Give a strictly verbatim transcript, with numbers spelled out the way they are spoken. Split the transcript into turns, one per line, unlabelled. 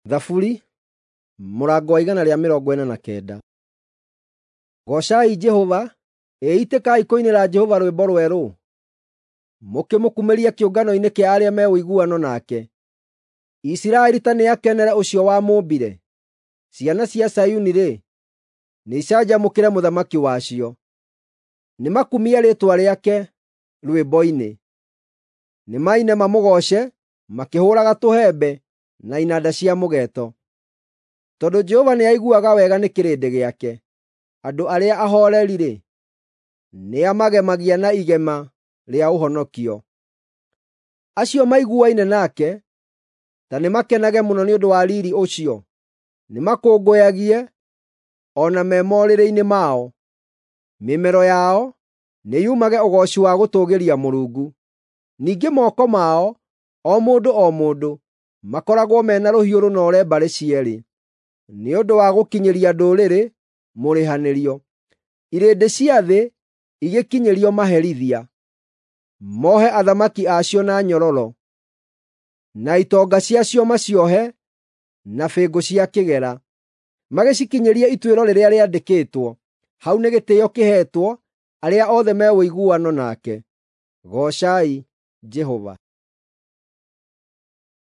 Thaburi mũrango wa igana rĩa mĩrongo ĩna na kenda. Goocai Jehova. Ĩitĩkai kũinĩra Jehova rwĩmbo rwerũ, mũkĩmũkumĩrie kĩũngano-inĩ kĩa arĩa me ũiguano nake. Isiraeli ta nĩakenere ũcio wamũmbire; ciana cia Zayuni-rĩ, nĩicanjamũkĩre Mũthamaki wacio. Nĩmakumie rĩĩtwa rĩake rwĩmbo-inĩ; nĩmaine mamũgooce makĩhũũraga tũhembe na inanda cia mũgeeto. Tondũ Jehova nĩaiguaga wega nĩ kĩrĩndĩ gĩake, andũ arĩa ahooreri-rĩ, nĩamagemagia na igema rĩa ũhonokio. Acio maiguaine nake ta nĩmakenage mũno nĩ ũndũ wa riiri ũcio; nĩmakũngũyagie o na me morĩrĩ-inĩ mao. Mĩmero yao nĩyumage ũgooci wa gũtũũgĩria Mũrungu. Ningĩ moko mao, o mũndũ o mũndũ, makoragwo me na rũhiũ rũnoore mbarĩ cierĩ, nĩ ũndũ wa gũkinyĩria ndũrĩrĩ mũrĩhanĩrio, irĩndĩ cia thĩ igĩkinyĩrio maherithia, mohe athamaki a cio na nyororo, na itonga ciacio maciohe na bĩngũ cia kĩgera, magĩcikinyĩrie ituĩro rĩrĩa rĩandĩkĩtwo. Hau nĩ gĩtĩĩo kĩheetwo arĩa othe me ũiguano nake. Goocai Jehova.